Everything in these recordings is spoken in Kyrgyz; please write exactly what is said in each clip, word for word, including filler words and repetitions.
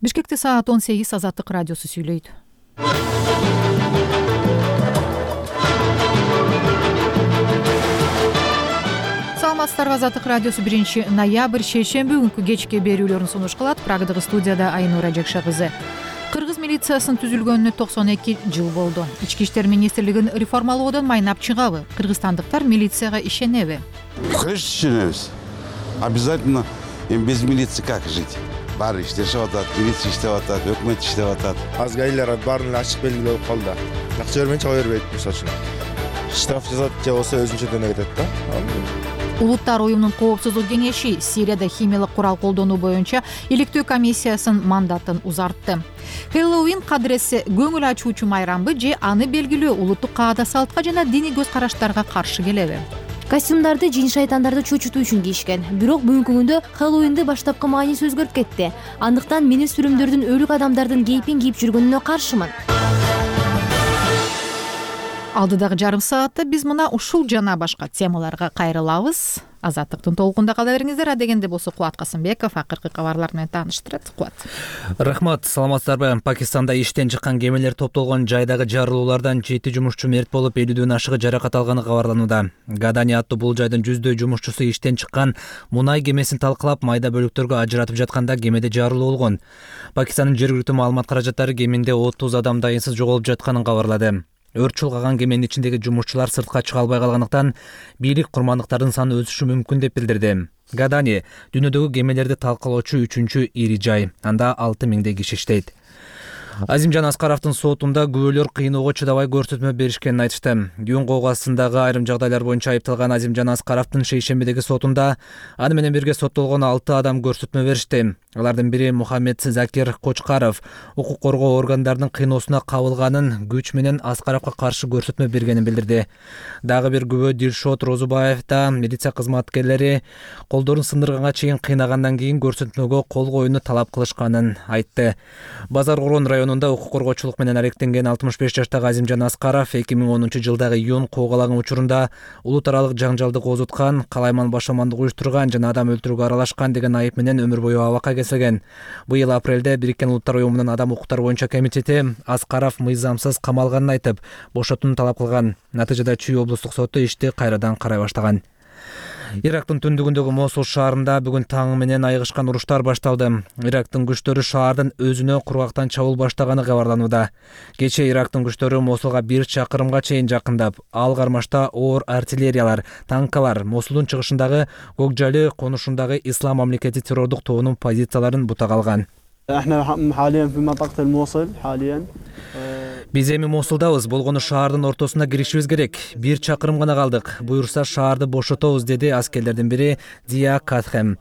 Бишкекте саат он сегиз Азаттык радиосу сүйлөйт. Саламатсыздарбы, Азаттык радиосу биринчи ноябрь шейшемби күнкү кечки берүүлөрүн сунуш кылат. Прагадагы студияда Айнура Жакша кызы. Кыргыз милициясынын түзүлгөнүнө токсон эки жыл болду. Ички иштер министрлигин реформалоодон майнап чыгабы? Кыргызстандыктар милицияга ишенеби? Конечно, ишенебиз. Обязательно. Без милиции как жить? Баары иштешип атат, милиция иштеп атат, өкмөт иштеп атат. Азыр айлар баарын ачык белгилүү болуп калды. Акча бермейинче чыга бербейт мисалы үчүн. Штраф жазат же болсо өзүнчө дөөнө кетет да. Улуттар уюмунун коопсуздук кеңеши Сирияда химиялык курал колдонуу боюнча иликтөө комиссиясынын мандатын узартты. Хэллоуин кадыресе көңүл ачуучу майрамбы же аны белгилөө улуттук каада салтка жана диний көз караштарга каршы келеби? Костюмдарды жин шайтандарды чочутуу үчүн кийишкен. Бирок бүгүнкү күндө Хэллоуинди баштапкы мааниси өзгөрүп кетти. Андыктан мен сүрүмдөрдүн өлүк адамдардын кейпин кийип жүргөнүнө каршымын. Алдыдагы жарым саатта биз мына ушул жана башка темаларга кайрылабыз. Азаттыктын толкунда кала бериңиздер. Адегенде болсо Кубат Касымбеков акыркы кабарлар менен тааныштырат. Кубат. Рахмат, саламатсыздарбы? Пакистанда иштен чыккан кемелер топтолгон жайдагы жарылуулардан жети жумушчу мерт болуп, элүүдөн ашыгы жаракат алганы кабарланууда. Гадани аттуу бул жайдын жүздөй жумушчусу иштен чыккан мунай кемесин талкалап, майда бөлүктөргө ажыратып жатканда кемеде жарылуу болгон. Пакистандын жергиликтүү маалымат каражаттары кеминде отуз адам дайынсыз жоголуп жатканын кабарлады. Өрт чулгаган кеменин ичиндеги жумушчулар сыртка чыга албай калгандыктан бийлик курмандыктардын саны өсүшү мүмкүн деп билдирди. Гадани дүйнөдөгү кемелерди талкалоочу үчүнчү ири жай. Анда алты миңдей киши иштейт. Азимжан Аскаровдун сотунда күбөлөр кыйноого чыдабай көрсөтмө беришкенин айтышты. Дүйүн коогаасындагы айрым жагдайлар боюнча айыпталган Азимжан Аскаровдун шейшембидеги сотунда аны менен бирге соттолгон алты адам көрсөтмө беришти. Алардын бири Мухаммед Закир Кочкаров укук коргоо органдарынын кыйноосуна кабылганын, күч менен Аскаровго каршы көрсөтмө бергенин билдирди. Дагы бир күбө Дилшот Розубаев да милиция кызматкерлери колдорун сындырганга чейин кыйнагандан кийин көрсөтмөгө кол коюуну талап кылышканын айтты. Базар Орон районунда укук коргоочулук менен аректенген алтымыш беш жаштагы Азимжан Аскаров эки миң онунчу жылдагы июнь куугалаган учурунда улут аралык жаңжалды козуткан, калайман башамандык уюштурган жана адам өлтүрүүгө аралашкан деген айып менен өмүр бою абакка кесилген. Быйыл апрелде Бириккен Улуттар уюмунун адам укуктары боюнча комитети Аскаров мыйзамсыз камалганын айтып, бошотууну талап кылган. Натыйжада Чүй облустук соту ишти кайрадан карай баштаган. Ирактын түндүгүндөгү Мосул шаарында бүгүн таң менен айыгышкан уруштар башталды. Ирактын күчтөрү шаардын өзүнө кургактан чабуул баштаганы кабарланууда. Кечээ Ирактын күчтөрү Мосулга бир чакырымга чейин жакындап, ал кармашта оор артиллериялар, танкалар Мосулдун чыгышындагы Гокжали конушундагы Ислам мамлекети террордук тобунун позицияларын бутак алган. Биз эми Мосулдабыз, болгону шаардын ортосуна киришибиз керек. Бир чакырым гана калдык. Буюрса шаарды бошотобуз, деди аскерлердин бири Дия Катхэм.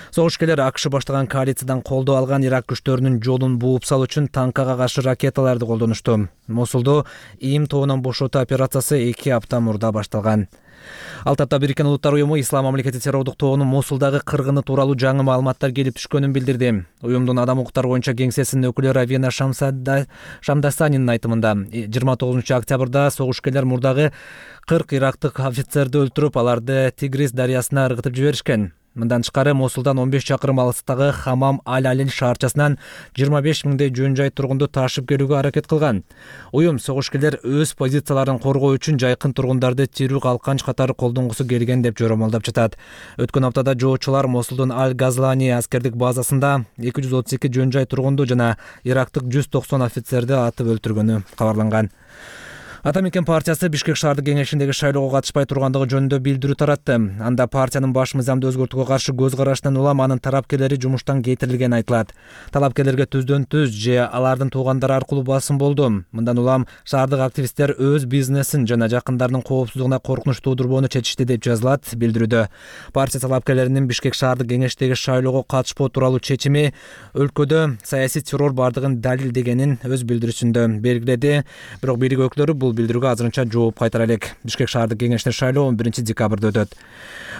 Согушкерлер АКШ баштаган коалициядан колдоо алган Ирак күчтөрүнүн жолун бууп салуу үчүн танкага каршы ракеталарды колдонушту. Мосулду ИИМ тобунан бошотуу операциясы эки апта мурда башталган. Ал тапта Бириккен Улуттар уюму Ислам мамлекети террордук тобунун Мосулдагы кыргыны тууралуу жаңы маалыматтар келип түшкөнүн билдирди. Уюмдун адам укуктары боюнча кеңсесинин өкүлү Равина Шамдасанинин айтымында жыйырма тогузунчу октябрда согушкерлер мурдагы кырк ирактык офицерди өлтүрүп, аларды Тигрис дарыясына ыргытып жиберишкен. Мындан тышкары Мосулдан он беш чакырым алыстагы Хамам Аль-Алин шаарчасынан жыйырма беш миңдей жөн жай тургунду ташып келүүгө аракет кылган. Уюм согушкерлер өз позицияларын коргоо үчүн жайкын тургундарды тирүү калканч катары колдонгусу келген деп жоромолдоп жатат. Өткөн аптада жоочулар Мосулдун Аль-Газлани аскердик базасында эки жүз отуз эки жөн жай тургунду жана ирактык жүз токсон офицерди атып өлтүргөнү кабарланган. Атамекен партиясы Бишкек шаардык кеңешиндеги шайлоого катышпай тургандыгы жөнүндө билдирүү таратты. Анда партиянын баш мыйзамды өзгөртүүгө каршы көз карашынан улам анын тарапкерлери жумуштан кетирилгени айтылат. Талапкерлерге түздөн түз же алардын туугандары аркылуу басым болду. Мындан улам шаардык активисттер өз бизнесин жана жакындарынын коопсуздугуна коркунуч туудурбоону чечишти деп жазылат билдирүүдө. Партия талапкерлеринин Бишкек шаардык кеңештеги шайлоого катышпоо тууралуу чечими өлкөдө саясий террор бардыгын далилдегенин өз билдирүүсүндө белгиледи. Бирок бийлик өкүлдөрү бул билдирүүгө азырынча жооп кайтара элек. Бишкек шаардык кеңештин шайлоо он биринчи декабрда өтөт.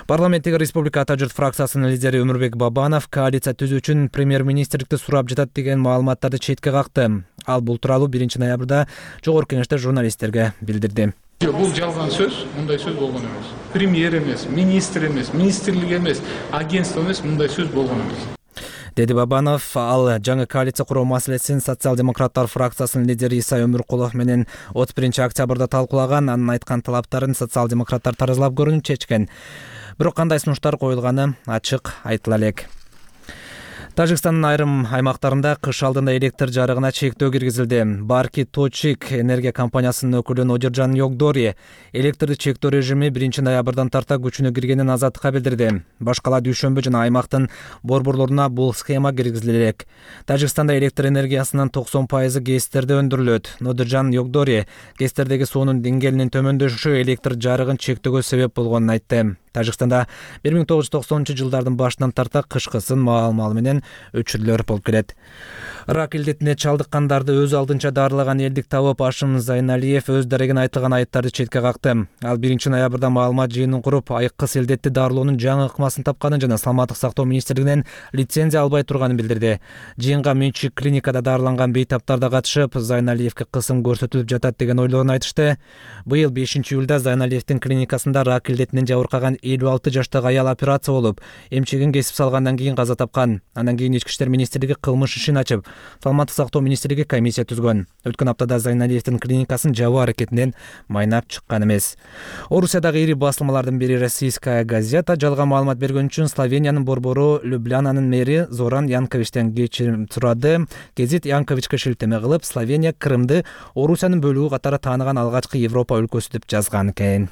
Парламенттеги Республика Ата журт фракциясынын лидери Өмүрбек Бабанов коалиция түзүү үчүн премьер-министрликти сурап жатат деген маалыматтарды четке какты. Ал бул тууралуу биринчи ноябрда жогорку кеңеште журналисттерге билдирди. Бул жалган сөз, мындай сөз болгон эмес. Премьер эмес, министр эмес, министрлик эмес, агентство эмес, мындай сөз болгон эмес. деди Бабанов. Ал жаңы коалиция куруу маселесин социал-демократтар фракциясынын лидери Исай Өмүркулов менен отуз биринчи октябрда талкуулаган. Анын айткан талаптарын социал-демократтар таразалап көрүнүп чечкен. Бирок кандай сунуштар коюлганы ачык айтыла элек. Тажикстандын айрым аймактарында кыш алдында электр жарыгына чектөө киргизилди. Барки Точик энергия компаниясынын өкүлү Нодиржан Йогдори электрди чектөө режими биринчи ноябрдан тарта күчүнө киргенин Азаттыкка билдирди. Башкала дүйшөмбү жана аймактын борборлоруна бул схема киргизиле элек. Тажикстанда электр энергиясынын токсон пайызы ГЭСтерде өндүрүлөт. Нодиржан Йогдори ГЭСтердеги суунун деңгээлинин төмөндөшүшү электр жарыгын чектөөгө себеп болгонун айтты. Тажикстанда бир миң тогуз жүз токсонунчу жылдардын башынан тарта кышкысын маал-маал менен өчүрлөр болуп келет. Рак илдетине чалдыккандарды өз алдынча дарылаган элдик табып Ашым Зайналиев өз дарегин айтылган айыптарды четке какты. Ал биринчи ноябрда маалымат жыйынын куруп, айыккыс илдетти дарылоонун жаңы ыкмасын тапканын жана саламаттык сактоо министрлигинен лицензия албай турганын билдирди. Жыйынга менчик клиникада дарыланган бейтаптар да катышып, Зайналиевке кысым көрсөтүлүп жатат деген ойлорун айтышты. Быйыл бешинчи июлда Зайналиевдин клиникасында рак илдетинен жабыркаган элүү алты жаштагы аял операция болуп, эмчегин кесип салгандан кийин каза тапкан. Андан кийин Ички иштер министрлиги кылмыш ишин ачып, саламаттык сактоо министрлиги комиссия түзгөн. Өткөн аптада Зайналиевдин клиникасын жабуу аракетинен майнап чыккан эмес. Орусиядагы ири басылмалардын бири Российская газета жалган маалымат бергөн үчүн Словениянын борбору Люблянанын мэри Зоран Янковичтен кечирим сурады. Гезит Янковичке шилтеме кылып, Словения Крымды Орусиянын бөлүгү катары тааныган алгачкы Европа өлкөсү деп жазган экен.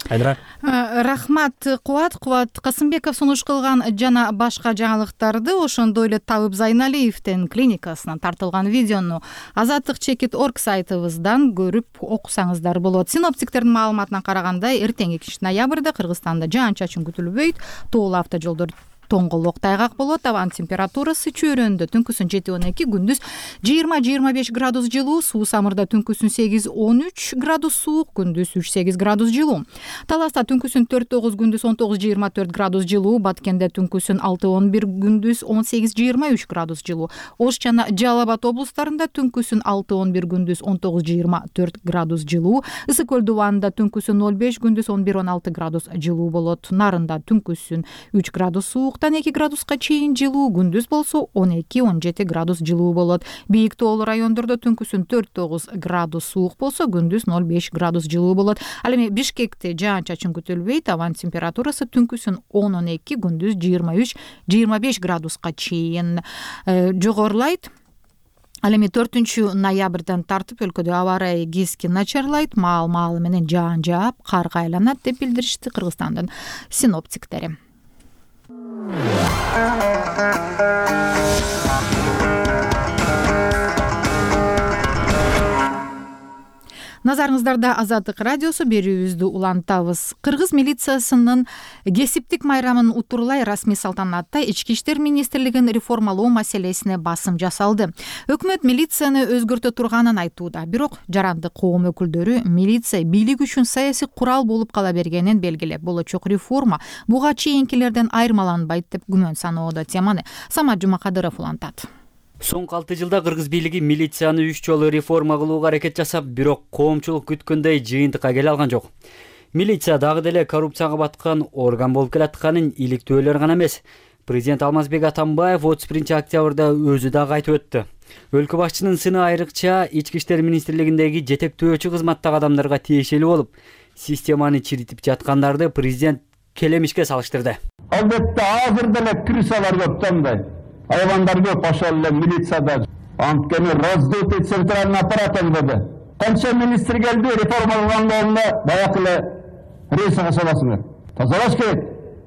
Айдра. Рахмат Кубат. Кубат Касымбеков сунуш кылган жана башка жаңылыктарды, ошондой эле Табып Зайналиевдин клиникасынан тартылган видеону Азаттык чекит точка орг сайтыбыздан көрүп окусаңыздар болот. Синоптиктердин маалыматына караганда, эртең экинчи ноябрда Кыргызстанда жаан-чачын күтүлбөйт. Тоолуу автожолдор тоңголок тайгак болот. Абанын температурасы чөйрөндө түнкүсүн жети он эки, күндүз жыйырма жыйырма беш градус жылуу, суу самырда түнкүсүн сегиз он үч градус суук, күндүз үч сегиз градус жылуу. Таласта түнкүсүн төрт тогуз, күндүз он тогуз жыйырма төрт градус жылуу, Баткенде түнкүсүн алты он бир, күндүз он сегиз жыйырма үч градус жылуу. Ош жана Жалал Абад облустарында түнкүсүн алты он бир, күндүз он тогуз жыйырма төрт градус жылуу. Ысык көл дубанында түнкүсүн ноль беш, күндүз он бир он алты градус жылуу болот. Нарында түнкүсүн үч градус суук, эки градуска чейин жылуу, күндүз болсо он эки он жети градус жылуу болот. Бийик тоолуу райондордо түнкүсүн төрт тогуз градус суук болсо, күндүз ноль беш градус жылуу болот. Ал эми Бишкекте жаан-чачын күтүлбөйт. Абанын температурасы түнкүсүн он он эки, күндүз жыйырма үч жыйырма беш градуска чейин жогорулайт. Ал эми төртүнчү ноябрдан тартып өлкөдө аба ырайы кескен начарлайт, маал-маалы менен жаан жаап, карга айланат деп билдиришти Кыргызстандын синоптиктери. Назарыңыздарда Азаттык радиосу, берүүбүздү улантабыз. Кыргыз милициясынын кесиптик майрамын утурлай расмий салтанатта Ички иштер министрлигин реформалоо маселесине басым жасалды. Өкмөт милицияны өзгөртө турганын айтууда, бирок жарандык коом өкүлдөрү милиция бийлик үчүн саясий курал болуп кала бергенин белгилеп, болочок реформа буга чейинкилерден айырмаланбайт деп күмөн саноодо. Теманы Самат Жумакадыров улантат. Соңку алты жылда кыргыз бийлиги милицияны үч жолу реформа кылууга аракет жасап, бирок коомчулук күткөндөй жыйынтыкка келе алган жок. Милиция дагы деле коррупцияга баткан орган болуп келатканын иликтөөлөр гана эмес, президент Алмазбек Атамбаев отуз биринчи октябрда өзү дагы айтып өттү. Өлкө башчынын сыны айрыкча Ички иштер министрлигиндеги жетектөөчү кызматтагы адамдарга тиешелүү болуп, системаны чиритип жаткандарды президент келемишке салыштырды. Албетте азыр деле крысалар көп тандай. Айвандар көп, ошол эле милицияда. Анткени раздутый центральный аппарат деді. Канча министр келди, реформа кылганда баягы эле рейсиге саласыңар. Тазалаш керек.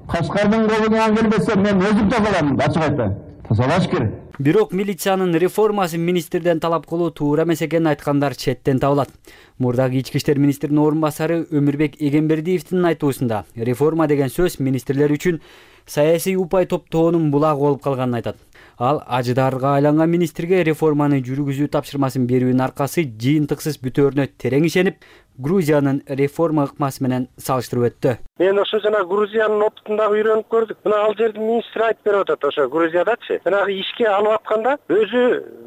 Кашкардын колунан келбесе мен өзүм тазалайм, ачык айтайын. Тазалаш керек. Бирок милициянын реформасын министрден талап кылуу туура эмес экенин айткандар четтен табылат. Мурдагы ички иштер министринин орун басары Өмүрбек Эгембердиевдин айтуусунда реформа деген сөз министрлер үчүн саясий упай топтоонун булагы болуп калганын айтат. Ал ажыдарга айланган министрге реформаны жүргүзүү тапшырмасын берүүнүн аркасы жыйынтыксыз бүтөөрүнө терең ишенип, Грузиянын реформа ыкмасы менен салыштырып өттү. Мен ошо жана Грузиянын опытын дагы үйрөнүп көрдүк. Мына ал жердин министри айтып берип атат, ошо Грузиядачы. Жанагы ишке алып атканда өзү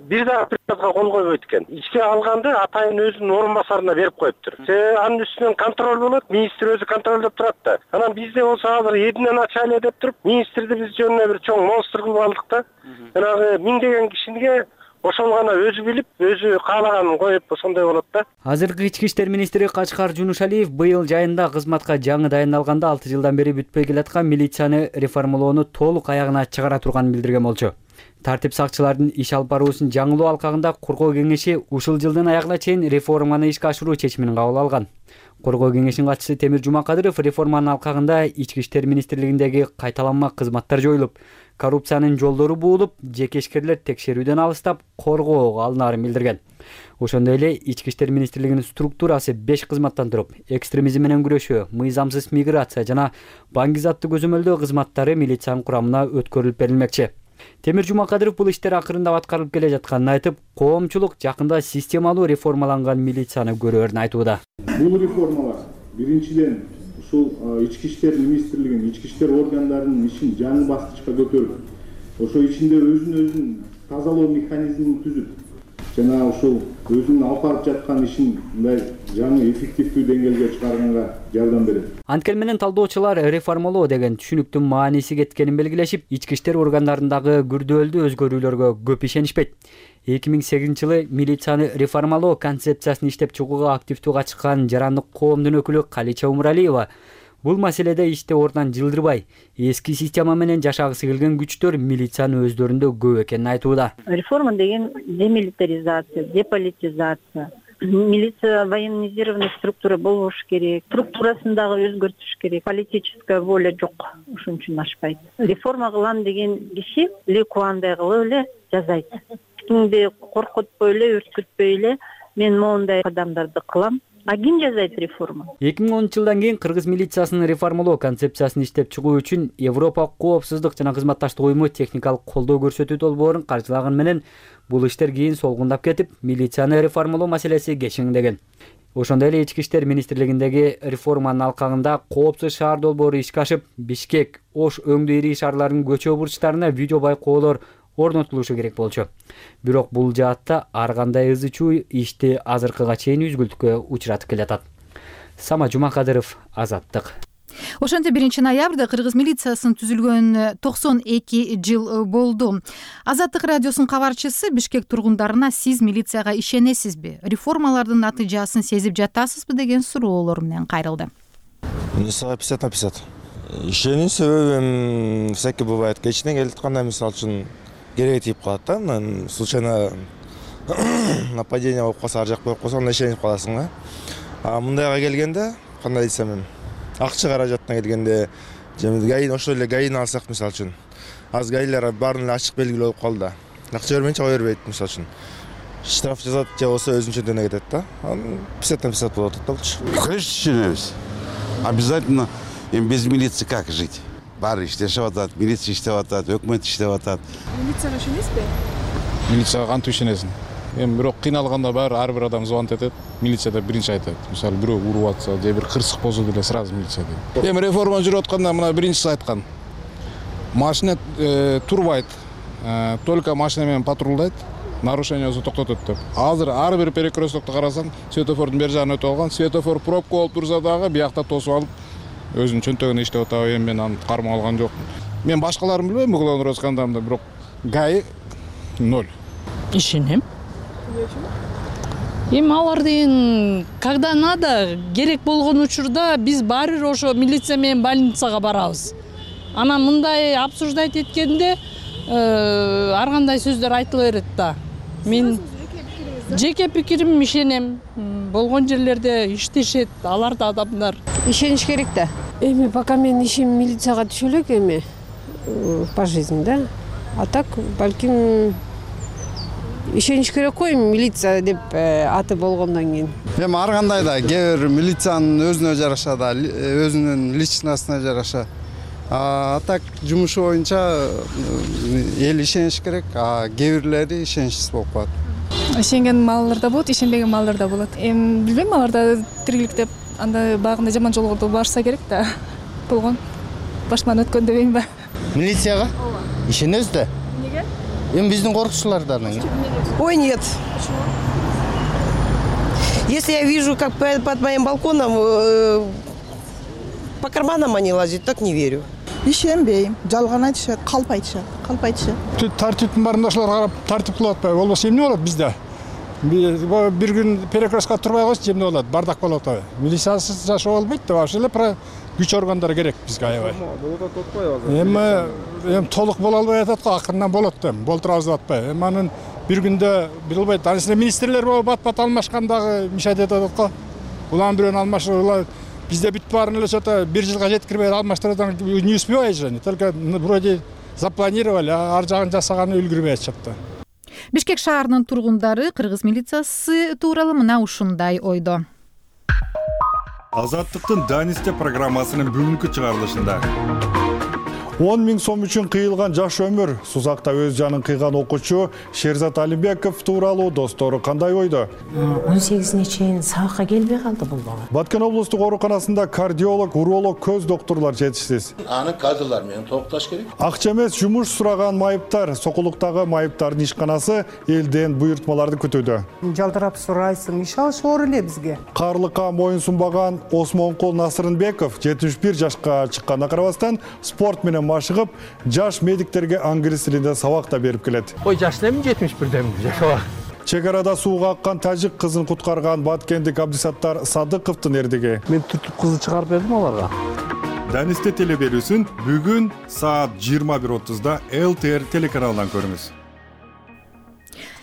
бир дагы кагазга кол койбойт экен. Ичке алганды атайын өзүнүн орун басарына берип коюптур. Себеби анын үстүнөн контроль болот, министр өзү контролдоп турат да. Анан бизде болсо азыр эдинен ачайлы деп туруп, министрди биз жөнүнө бир чоң монстр кылып алдык да. Жанагы миңдеген кишиге ошол гана өзү билип, өзү каалаганын коюп ошондой болот да. Азыркы ички иштер министри Качкар Жунушалиев быйыл жайында кызматка жаңы дайындалганда алты жылдан бери бүтпөй келаткан милицияны реформалоону толук аягына чыгара турганын билдирген болчу. Тартип сакчылардын иш алып баруусун жаңылоо алкагында Коргоо кеңеши ушул жылдын аягына чейин реформаны ишке ашыруу чечимин кабыл алган. Коргоо кеңешинин катчысы Темир Жумакадыров реформанын алкагында ички иштер министрлигиндеги кайталанма кызматтар жоюлуп, коррупциянын жолдору буулуп, жеке ишкерлер текшерүүдөн алыстап, коргоого алынаарын билдирген. Ошондой эле ички иштер министрлигинин структурасы беш кызматтан туруп, экстремизм менен күрөшүү, мыйзамсыз миграция жана баңгизатты көзөмөлдөө кызматтары милициянын курамына өткөрүлүп берилмекчи. Темир Жумакадыров бул иштер акырындап аткарылып келе жатканын айтып, коомчулук жакында системалуу реформаланган милицияны көрөрүн айтууда. Бул реформалар биринчиден ушул ички иштер министрлигинин, ички иштер органдарынын ишин жаңы баскычка көтөрүп, ошо ичинде өзүн-өзүн тазалоо механизмин түзүп, жана ушул өзүнүн алып барып жаткан ишин мындай жаңы эффективдүү деңгээлге чыгарганга жардам берет. Анткени менен талдоочулар реформалоо деген түшүнүктүн мааниси кеткенин белгилешип, ички иштер органдарындагы күрдөөлдүү өзгөрүүлөргө көп ишенишпейт. эки миң сегизинчи жылы милицияны реформалоо концепциясын иштеп чыгууга активдүү катышкан жарандык коомдун өкүлү Калича Умуралиева бул маселеде ишти ордунан жылдырбай, эски система менен жашагысы келген күчтөр милицияны өздөрүндө көп экенин айтууда. Реформа деген демилитаризация, деполитизация. Милиция военизированный структура болуш керек. Структурасын дагы өзгөртүш керек. Политическая воля жок. Ошон үчүн ашпайт. Реформа кылам деген киши лекуандай кылып эле жазайт. Кимди коркутпой эле, үркүтпөй эле мен моундай кадамдарды кылам. А ким жазайт реформа? эки миң онунчу жылдан кийин кыргыз милициясынын реформалоо концепциясын иштеп чыгуу үчүн Европа коопсуздук жана кызматташтык уюму техникалык колдоо көрсөтүү долбоорун каржылаган менен бул иштер кийин солгундап кетип, милицияны реформалоо маселеси кечиңдеген. Ошондой эле ички иштер министрлигиндеги реформанын алкагында коопсуз шаар долбоору ишке ашып, Бишкек, Ош өңдүү ири шаарларынын көчө бурчтарына видео байкоолор орнотулушу керек болчу. Бирок бул жаатта ар кандай ызы чуу ишти азыркыга чейин үзгүлтүккө учуратып келатат. Сама Жумакадыров, Азаттык. Ошентип биринчи ноябрда кыргыз милициясынын түзүлгөнүнө токсон эки жыл болду. Азаттык радиосунун кабарчысы Бишкек тургундарына сиз милицияга ишенесизби? Реформалардын натыйжасын сезип жатасызбы деген суроолор менен кайрылды. Мисалы пятьдесят на пятьдесят. Ишенүү себеби всякий бывает. Кечинен келатканда мисалы үчүн керек тийип калат да, случайно нападение болуп калса, ар жак коюп койсо, анда ишенип каласың да. А мындайга келгенде, кандай десем эми, акча каражатына келгенде, гаи ошол эле гаини алсак мисалы үчүн, азыр гаилер баарын эле ачык белгилүү болуп калды да. Акча бермейинче кое бербейт мисалы үчүн. Штраф жазат же болсо өзүнчө жөнүнө кетет да. пятьдесят на пятьдесят болот да болчу. Конечно, ишенебиз. Обязательно. Эми без милиции как жить? Баары иштешип атат, милиция иштеп атат, өкмөт иштеп атат. Милицияга ишенесизби? Милицияга кантип ишенесиң? Эми бирок кыйналганда баары ар бир адам звонить этет, милицияда биринчи айтат. Мисалы бирөө уруп атса, же бир кырсык болсо деле сразу милиция дейт. Эми реформа жүрүп атканда мына биринчиси айткан. Машина турбайт. Только машина менен патрулдайт, нарушение болсо токтотот деп. Азыр ар бир перекресткты карасаң, светофордун бер жагын өтүп алган, светофор пробка болуп турса дагы биякта тосуп алып өзүнүн чөнтөгүндө иштеп атабы, эми мен аны кармап алган жокмун. Мен башкаларын билбейм, уголовный скандалда, бирок гаи ноль. Ишенем. Эми алар деген когда надо, керек болгон учурда биз баары бир ошо милиция менен больницага барабыз. Анан мындай обсуждать эткенде ар кандай сөздөр айтыла берет да. Мен жеке пикирим ишенем. Болгон жерлерде иштешет, алар да адамдар. Ишениш керек да. Эми пока мен ишим милицияга түшө элек эми по жизни да. А так балким ишениш керек го милиция деп аты болгондон кийин. Эми ар кандай да кээ бир милициянын өзүнө жараша да, өзүнүн личностуна жараша. А так жумушу боюнча эл ишениш керек, а кээ бирлери ишеничсиз болуп калат. Ишенген маллар да болот, ишенбеген маллар да болот. Эми билбейм, аларда тириликтеп анда багында жаман жолго барса керек да. Болгон. Башыман өткөн дебейм ба? Милицияга? Ишенебиз да. Эмнеге? эми биздин коркучулардан. Ой, нет. Если я вижу, как под моим балконом по карманам они лазят, так не верю. Ишенбейм, жалган айтышат, калп айтышат, калп айтышат. Тартиптин баарында ошолор карап тартип кылып атпайбы? Болбосо эмне болот бизде? Бир күн перекрестка турбай койсо эмне болот? Бардак болот атабы? Милициясыз жашоо болбойт да, ошол эле про күч органдары керек бизге аябай. Болот атпайбы? Эми эми толук боло албай атат го, акырынан болот да, болтурабыз деп атпайбы? Эми анын бир күндө билбейт, анысында министрлер болуп бат-бат алмашкан дагы мешать этип атат го. Улам бирөөнү алмашып, бизде бүт баарын эле ошото бир жылга жеткирбей алмаштыруудан не успевай же, только вроде запланировали, ар жагын жасаганы үлгүрбөй атышат да. Бишкек шаарынын тургундары кыргыз милициясы тууралуу мына ушундай ойдо. Азаттыктын Данисте программасынын бүгүнкү чыгарылышында он миң сом үчүн кыйылган жаш өмүр, Сузакта өз жанын кыйган окуучу Шерзат Алимбеков тууралуу достору кандай ойдо? он сегизине чейин сабакка келбей калды бул бала. Баткен облустук ооруканасында кардиолог, уролог, көз доктурлар жетишсиз. Аны кадрлар менен толукташ керек. Акча эмес жумуш сураган майыптар, Сокулуктагы майыптардын ишканасы элден буйртмаларды күтүүдө. Жалдырап сурайсың, иш алышып эле бизге. Карлыкка моюн сунбаган Осмонкул Насырынбеков жетимиш бир жашка чыкканына карабастан спорт менен машыгып, жаш медиктерге англис тилинде сабак да берип келет. Ой, жаш эмне жетимиш бирден жашабак. Чек арада сууга аккан тажик кызын куткарган баткендик Абдисаттар Садыковдун эрдиги. Мен түртүп кызды чыгарып бердим аларга. Данисте телеберүүсүн бүгүн саат жыйырма бир отузда эл ти эр телеканалынан көрүңүз.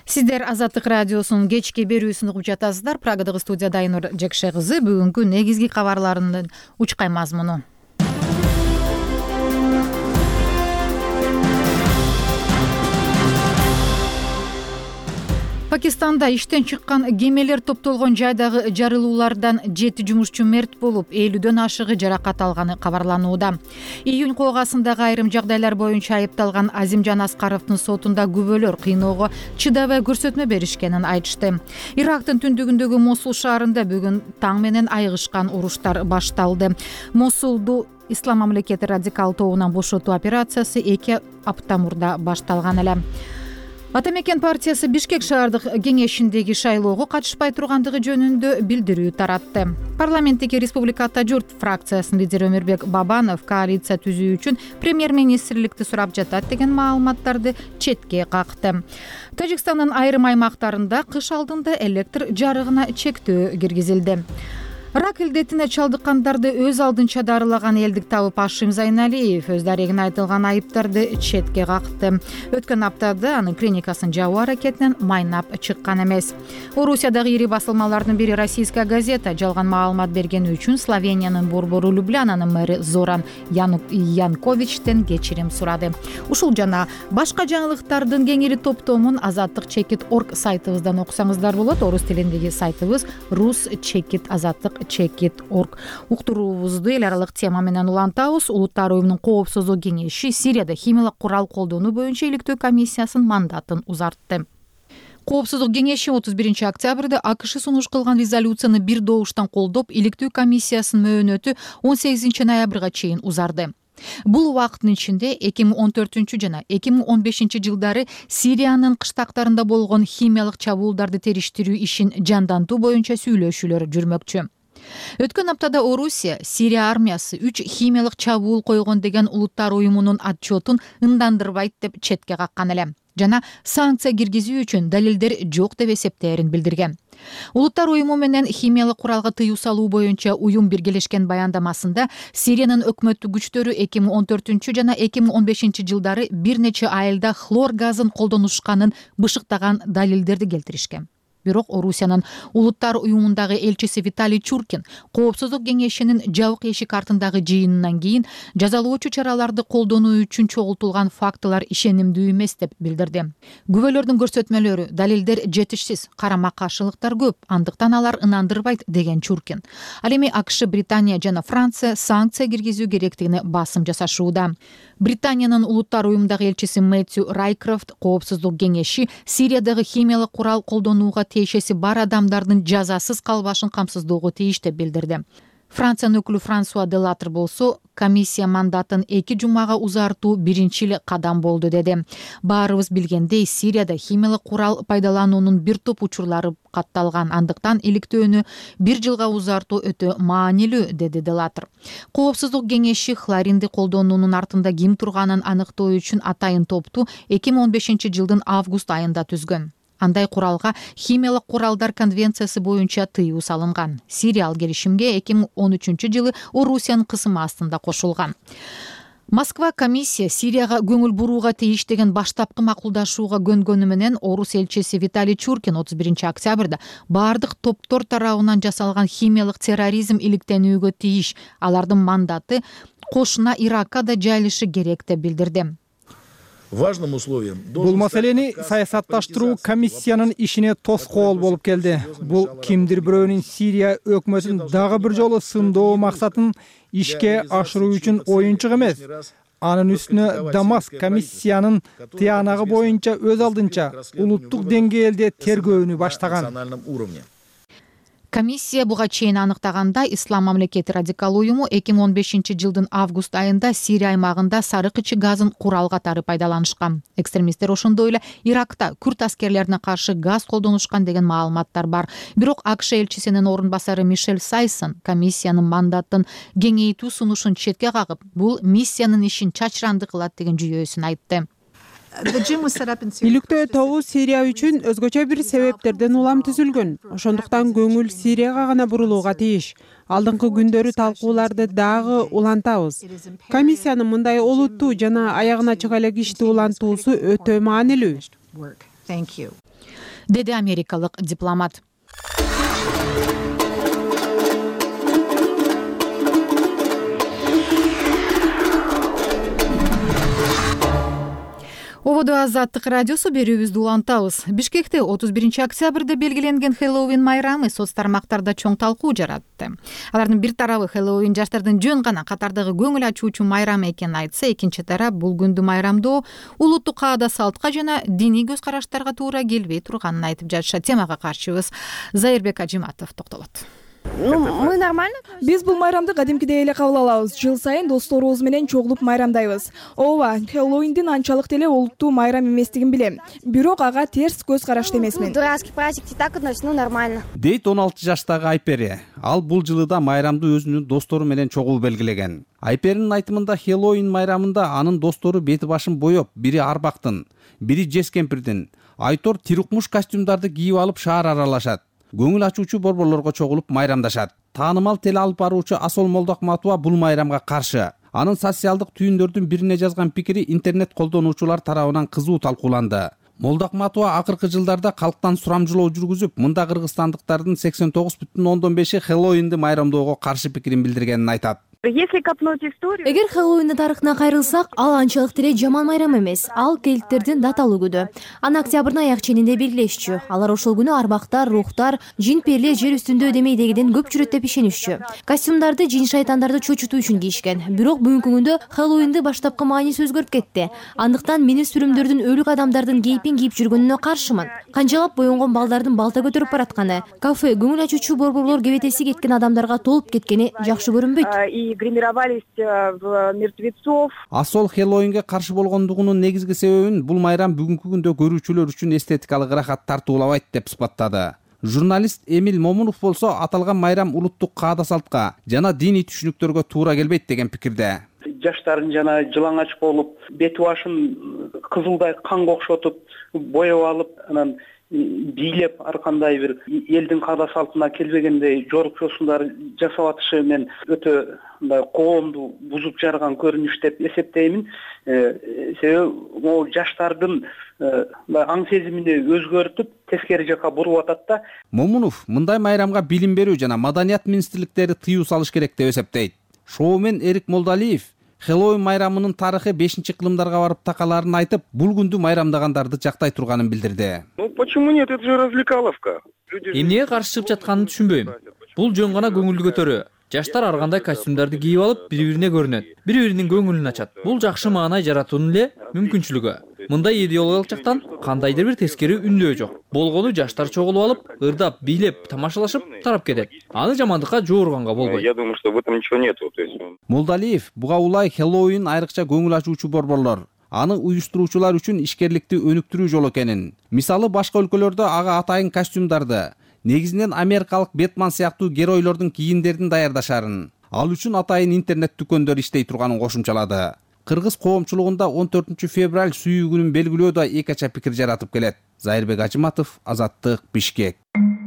Сиздер Азаттык радиосунун кечки берүүсүн угуп жатасыздар. Прагадагы студияда Айнур Жекше кызы бүгүнкү негизги кабарларынын учкай мазмуну. Пакистанда иштен чыккан кемелер топтолгон жайдагы жарылуулардан жети жумушчу мерт болуп, элүүдөн ашыгы жаракат алганы кабарланууда. Июнь коогасындагы айрым жагдайлар боюнча айыпталган Азимжан Аскаровдун сотунда күбөлөр кыйноого чыдабай көрсөтмө беришкенин айтышты. Ирактын түндүгүндөгү Мосул шаарында бүгүн таң менен айыгышкан уруштар башталды. Мосулду Ислам мамлекети радикал тобунан бошотуу операциясы эки апта мурда башталган эле. Атамекен партиясы Бишкек шаардык кеңешиндеги шайлоого катышпай тургандыгы жөнүндө билдирүү таратты. Парламенттеги Республика Ата журт фракциясынын лидери Өмүрбек Бабанов коалиция түзүү үчүн премьер-министрликти сурап жатат деген маалыматтарды четке какты. Тажикстандын айрым аймактарында кыш алдында электр жарыгына чектөө киргизилди. Рак илдетине чалдыккандарды өз алдынча дарылаган элдик табып Ашим Зайналиев өз дарегине айтылган айыптарды четке какты. Өткөн аптада анын клиникасын жабуу аракетинен майнап чыккан эмес. Орусиядагы ири басылмалардын бири Российская газета жалган маалымат бергени үчүн Словениянын борбору Люблянанын мэри Зоран Янковичтен кечирим сурады. Ушул жана башка жаңылыктардын кеңири топтомун азаттык чекит точка орг сайтыбыздан окусаңыздар болот. Орус тилиндеги сайтыбыз рус чекит азаттык чекит точка орг. Уктуруубузду эл аралык тема менен улантабыз. Улуттар уюмунун коопсуздук кеңеши Сирияда химиялык курал колдонуу боюнча иликтөө комиссиясынын мандатын узартты. Коопсуздук кеңеши отуз биринчи октябрда АКШ сунуш кылган резолюцияны бир добуштан колдоп, иликтөө комиссиясынын мөөнөтү он сегизинчи ноябрга чейин узарды. Бул убакыттын ичинде эки миң он төртүнчү жана эки миң он бешинчи жылдары Сириянын кыштактарында болгон химиялык чабуулдарды териштирүү ишин жандантуу боюнча сүйлөшүүлөр жүрмөкчү. Өткөн аптада Орусия Сирия армиясы үч химиялык чабуул койгон деген улуттар уюмунун отчетун ындандырбайт деп четке каккан эле жана санкция киргизүү үчүн далилдер жок деп эсептээрин билдирген. Улуттар уюму менен химиялык куралга тыюу салуу боюнча уюм биргелешкен баяндамасында Сириянын өкмөттүк күчтөрү эки миң он төртүнчү жана эки миң он бешинчи жылдары бир нече айылда хлор газын колдонушканын бышыктаган далилдерди келтиришкен. Бирок Орусиянын улуттар уюмундагы элчиси Виталий Чуркин коопсуздук кеңешинин жабык эшик артындагы жыйынынан кийин жазалоочу чараларды колдонуу үчүн чогултулган фактылар ишенимдүү эмес деп билдирди. Күбөлөрдүн көрсөтмөлөрү, далилдер жетишсиз, карама каршылыктар көп, андыктан алар ынандырбайт деген Чуркин. Ал эми АКШ, Британия жана Франция санкция киргизүү керектигине басым жасашууда. Британиянын улуттар уюмундагы элчиси Мэтью Райкрофт коопсуздук кеңеши Сириядагы химиялык курал колдонууга тиешеси бар адамдардын жазасыз калбашын камсыздоого тийиш деп билдирди. Франциянын өкүлү Франсуа Делатр болсо комиссия мандатын эки жумага узартуу биринчи эле кадам болду деди. Баарыбыз билгендей, Сирияда химиялык курал пайдалануунун бир топ учурлары катталган, андыктан иликтөөнү бир жылга узартуу өтө маанилүү, деди Делатр. Коопсуздук кеңеши хлоринди колдонуунун артында ким турганын аныктоо үчүн атайын топту эки миң он бешинчи жылдын август айында түзгөн. Андай куралга химиялык куралдар конвенциясы боюнча тыюу салынган. Сирия ал келишимге эки миң он үчүнчү жылы Орусиянын кысымы астында кошулган. Москва комиссия Сирияга көңүл бурууга тийиштеген баштапкы макулдашууга көнгөнү менен Орус элчиси Виталий Чуркин отуз биринчи октябрда баардык топтор тарабынан жасалган химиялык терроризм иликтенүүгө тийиш, алардын мандаты кошуна Иракка да жайылышы керек деп билдирди. Важным условием бул маселени саясатташтыруу комиссиянын ишине тоскоол болуп келди. Бул кимдир бирөөнүн Сирия өкмөтүн дагы бир жолу сындоо максатын ишке ашыруу үчүн оюнчук эмес. Анын үстүнө Дамаск комиссиянын тыянагы боюнча өз алдынча улуттук деңгээлде тергөөнү баштаган. Комиссия буга чейин аныктаганда, Ислам мамлекети радикал уюму эки миң он бешинчи жылдын август айында Сирия аймагында сарык ичи газын курал катары пайдаланышкан. Экстремисттер ошондой эле Иракта күрд аскерлерине каршы газ колдонушкан деген маалыматтар бар. Бирок АКШ элчисинин орун басары Мишель Сайсон комиссиянын мандатын кеңейтүү сунушун четке кагып, бул миссиянын ишин чачыранды кылат деген жүйөсүн айтты. Иликтөө тобу Сирия үчүн өзгөчө бир себептерден улам түзүлгөн. Ошондуктан көңүл Сирияга гана бурулууга тийиш. Алдыңкы күндөрү талкууларды дагы улантабыз. Комиссиянын мындай олуттуу жана аягына чыга элек ишти улантуусу өтө маанилүү, деди америкалык дипломат. Ободо Азаттык радиосу берүүбүздү улантабыз. Бишкекте отуз биринчи октябрда белгиленген Хэллоуин майрамы соц тармактарда чоң талкуу жаратты. Алардын бир тарабы Хэллоуин жаштардын жөн гана катардагы көңүл ачуучу майрам экенин айтса, экинчи тарап бул күндү майрамдоо улуттук каада салтка жана диний көз караштарга туура келбей турганын айтып жатышат. Темага каршыбыз Заирбек Ажиматов токтолот. Ну, мы нормально. Биз бул майрамды кадимкидей эле кабыл алабыз. Жыл сайын досторубуз менен чогулуп майрамдайбыз. Ооба, Хэллоуиндин анчалык деле улуттуу майрам эместигин билем. Бирок ага терс көз карашты эмесмин. Дурацкий праздник, так относится, ну нормально. Дейт он алты жаштагы Айпери. Ал бул жылы да майрамды өзүнүн достору менен чогуу белгилеген. Айперинин айтымында Хэллоуин майрамында анын достору бети башын боеп, бири арбактын, бири жез кемпирдин, айтор тирукмуш костюмдарды кийип алып шаар аралашат. Көңүл ачуучу борборлорго чогулуп майрамдашат. Таанымал теле алып баруучу Асол Молдокматова бул майрамга каршы. Анын социалдык түйүндөрдүн бирине жазган пикири интернет колдонуучулар тарабынан кызуу талкууланды. Молдокматова акыркы жылдарда калктан сурамжылоо жүргүзүп, мында кыргызстандыктардын сексен тогуз бүтүн ондон беши Хэллоуинди майрамдоого каршы пикирин билдиргенин айтат. Если копнуть историю... Эгер Хэллоуиндин тарыхына кайрылсак, ал анчалык деле жаман майрам эмес. Ал кельттердин даталуу күнү. Аны октябрдын аяк ченинде белгилешчү. Алар ошол күнү арбактар, рухтар, жин перлер жер үстүндө демейдегиден көп жүрөт деп ишенишчү. Костюмдарды жин шайтандарды чочутуу үчүн кийишкен. Бирок бүгүнкү күндө Хэллоуинди баштапкы мааниси өзгөрүп кетти. Андыктан мен сүрүмдөрдүн өлүк адамдардын кейпин кийип жүргөнүнө каршымын. Канчалап боенгон балдардын балта көтөрүп баратканы, кафе, көңүл ачуучу борборлор кебетеси кеткен адамдарга толуп кеткени жакшы көрүнбөйт. Гримировались в мертвецов. Асол Хэллоуинге каршы болгондугунун негизги себебин бул майрам бүгүнкү күндө көрүүчүлөр үчүн эстетикалык ырахат тартуулабайт деп сыпаттады. Журналист Эмил Момунов болсо аталган майрам улуттук каада салтка жана диний түшүнүктөргө туура келбейт деген пикирде. Жаштарын жана жылаңач болуп, бет башын кызылдай канга окшотуп, боеп алып, анан бийлеп ар кандай бир элдин каада салтына келбегендей жорукчосундар жасап атышы мен өтө мындай коомду бузуп жарган көрүнүш деп эсептеймин. Себеби могу жаштардын аң сезимини өзгөртүп, тескери жака буруп атат да. Момунов мындай майрамга билим берүү жана маданият министрликтери тыюу салыш керек деп эсептейт. Шоумен Эрик Молдалиев Хэллоуин майрамынын тарыхы бешинчи кылымдарга барып такаларын айтып, бул күндү майрамдагандарды жактай турганын билдирди. Ну почему нет, это же развлекаловка. Эмнеге каршы чыгып жатканын түшүнбөйм. Бул жөн гана көңүлдү көтөрүү. Жаштар ар кандай костюмдарды кийип алып, бири-бирине көрүнөт, бири-биринин көңүлүн ачат. Бул жакшы маанай жаратуунун эле мүмкүнчүлүгү. Мындай идеологиялык жактан кандайдыр бир тескери үндөө жок. Болгону жаштар чогулуп алып, ырдап, бийлеп, тамашалашып тарап кетет. Аны жамандыкка жоорганга болбойт. Я думаю, что в этом ничего нету. То есть Молдалиев буга улай Хэллоуин айрыкча көңүл ачуучу борборлор. Аны уюштуруучулар үчүн ишкерликти өнүктүрүү жолу экенин. Мисалы башка өлкөлөрдө ага атайын костюмдарды, негизинен америкалык Бэтмен сыяктуу геройлордун кийимдерин даярдашарын, ал үчүн атайын интернет дүкөндөр иштей турганын кошумчалады. Кыргыз коомчулугунда он төртүнчү февраль сүйүү күнүн белгилөө да эки ача пикир жаратып келет. Зайырбек Ажыматов, Азаттык, Бишкек.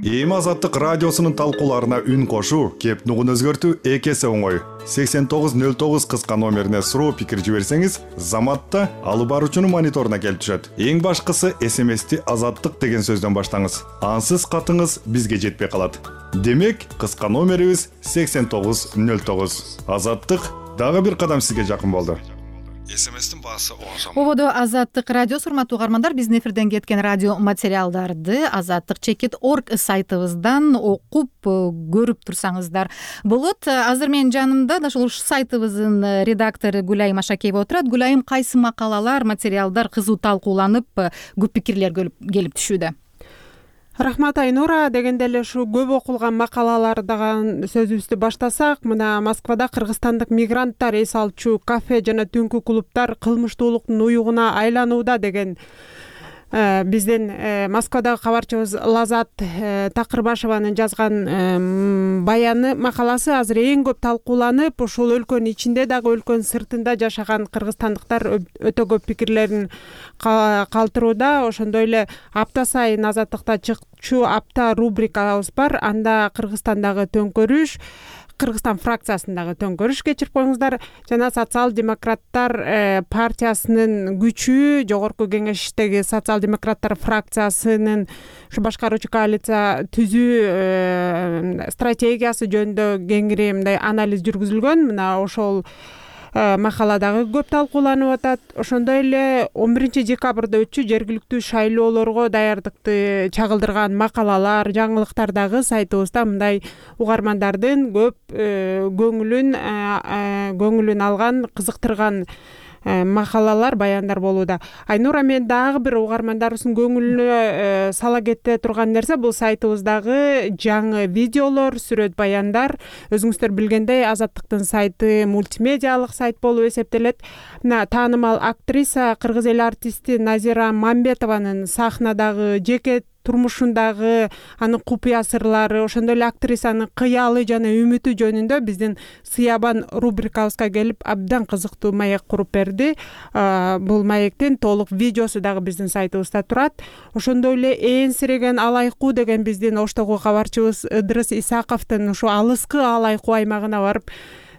Эми Азаттык радиосунун талкууларына үн кошуу, кеп нугун өзгөртүү эки эсе оңой. сексен тогуз нөл тогуз кыска номерине суроо пикир жиберсеңиз, Заматта алып баруучунун мониторуна келип түшөт. Эң башкысы эс эм эсти Азаттык деген сөздөн баштаңыз. Ансыз катыңыз бизге жетпей калат. Демек, кыска номерибиз сексен тогуз нөл тогуз. Азаттык дагы бир кадам сизге жакын болду. эс эм эстин баасы он сом. Ободо Азаттык радио, урматтуу угармандар, биздин эфирден кеткен радио материалдарды азаттык чекит орг сайтыбыздан окуп көрүп турсаңыздар болот. Азыр менин жанымда да ушул сайтыбыздын редактору Гүлайым Ашакеева отурат. Гүлайым, кайсы макалалар, материалдар кызуу талкууланып, көп пикирлер келип түшүүдө? Рахмат, Айнура. Дегенде эле ушу көп окулган макалалардан сөзүбүздү баштасак, мына Москвада кыргызстандык мигранттар эс алчу кафе жана түнкү клубдар кылмыштуулуктун уюгуна айланууда деген биздин Москвадагы кабарчыбыз Лазат Такырбашеванын жазган баяны, макаласы азыр эң көп талкууланып, ушул өлкөнүн ичинде дагы өлкөнүн сыртында жашаган кыргызстандыктар өтө көп пикирлерин калтырууда. Ошондой эле апта сайын Азаттыкта чыкчу апта рубрикабыз бар. Анда Кыргызстандагы төңкөрүш, Кыргызстан фракциясындагы төңкөрүш кечирип коюңуздар, жана социал-демократтар партиясынын күчү, жогорку кеңештеги социал-демократтар фракциясынын ушу башкаруучу коалиция түзүү стратегиясы жөнүндө кеңири мындай анализ жүргүзүлгөн. Мына ошол макала дагы көп талкууланып атат. Ошондой эле он биринчи декабрда өтчү жергиликтүү шайлоолорго даярдыкты чагылдырган макалалар, жаңылыктар дагы сайтыбызда мындай угармандардын көп көңүлүн көңүлүн алган, кызыктырган макалалар, баяндар болууда. Айнура, мен дагы бир угармандарыбыздын көңүлүнө сала кете турган нерсе бул сайтыбыздагы жаңы видеолор, сүрөт, баяндар. Өзүңүздөр билгендей, Азаттыктын сайты мультимедиалык сайт болуп эсептелет. Мына таанымал актриса, кыргыз эл артисти Назира Мамбетованын сахнадагы жеке турмушундагы анын купуя сырлары, ошондой эле актрисанын кыялы жана үмүтү жөнүндө биздин Сыябан рубрикабызга келип абдан кызыктуу маек куруп берди. Бул маектин толук видеосу дагы биздин сайтыбызда турат. Ошондой эле Ээнсиреген алайкуу деген биздин Оштогу кабарчыбыз Ыдырыс Исаковдун ушу алыскы алайкуу аймагына барып,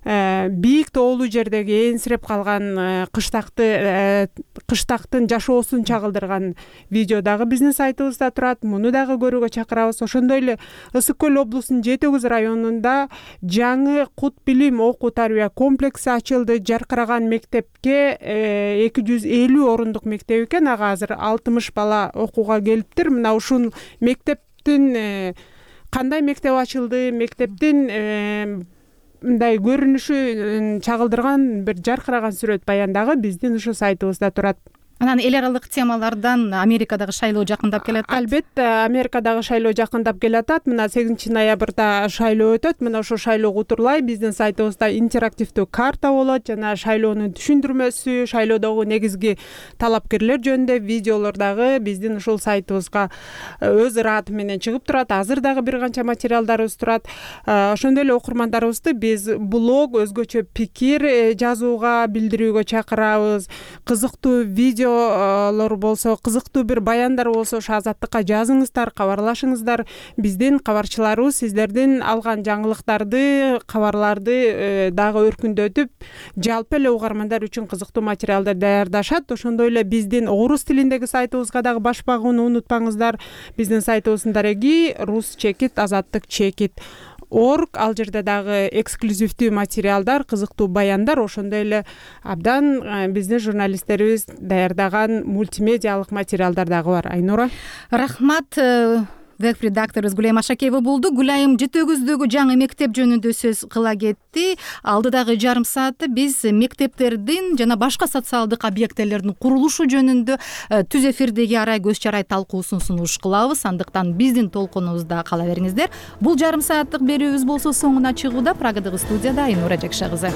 бийик тоолуу жердеги ээнсиреп калган кыштакты кыштактын жашоосун чагылдырган видео дагы биздин сайтыбызда турат. Муну дагы көрүүгө чакырабыз. Ошондой эле Ысык көл облусунун Жети Өгүз районунда жаңы Кут билим окуу тарбия комплекси ачылды. Жаркыраган мектепке эки жүз элүү орундук мектеп экен. Ага азыр алтымыш бала окууга келиптир. Мына ушул мектептин кандай мектеп ачылды, мектептин мындай көрүнүшү чагылдырган бир жаркыраган сүрөт, баян дагы биздин ушу сайтыбызда турат. Анан эл аралык темалардан Америкадагы шайлоо жакындап келатат. Албетте, Америкадагы шайлоо жакындап келатат. Мына сегизинчи ноябрда шайлоо өтөт. Мына ошол шайлоого утурлай биздин сайтыбызда интерактивдүү карта болот, жана шайлоонун түшүндүрмөсү, шайлоодогу негизги талапкерлер жөнүндө видеолор дагы биздин ушул сайтыбызга өз ыраты менен чыгып турат. Азыр дагы бир канча материалдарыбыз турат. Ошондой эле окурмандарыбызды биз блог, өзгөчө пикир жазууга, билдирүүгө чакырабыз. Кызыктуу видео болсо, кызыктуу бир баяндар болсо, ошо Азаттыкка жазыңыздар, кабарлашыңыздар. Биздин кабарчыларыбыз сиздердин алган жаңылыктарды, кабарларды дагы өркүндөтүп, жалпы эле угармандар үчүн кызыктуу материалдар даярдашат. Ошондой эле биздин орус тилиндеги сайтыбызга дагы баш багууну унутпаңыздар. Биздин сайтыбыздын дареги рус чекит, азаттык чекит орг. Ал жерде дагы эксклюзивдүү материалдар, кызыктуу баяндар, ошондой эле абдан биздин журналисттерибиз даярдаган мультимедиалык материалдар дагы бар. Айнура, рахмат. веб редакторубуз Гүлайым Ашакеева болду. Гүлайым Жыты өгүздөгү жаңы мектеп жөнүндө сөз кыла кетти. Алдыдагы жарым саатта биз мектептердин жана башка социалдык объектилердин курулушу жөнүндө түз эфирдеги арай көз чарай талкуусун сунуш кылабыз. Андыктан биздин толкунубузда кала бериңиздер. Бул жарым сааттык берүүбүз болсо соңуна чыгууда. Прагадагы студияда Айнура Жакша кызы.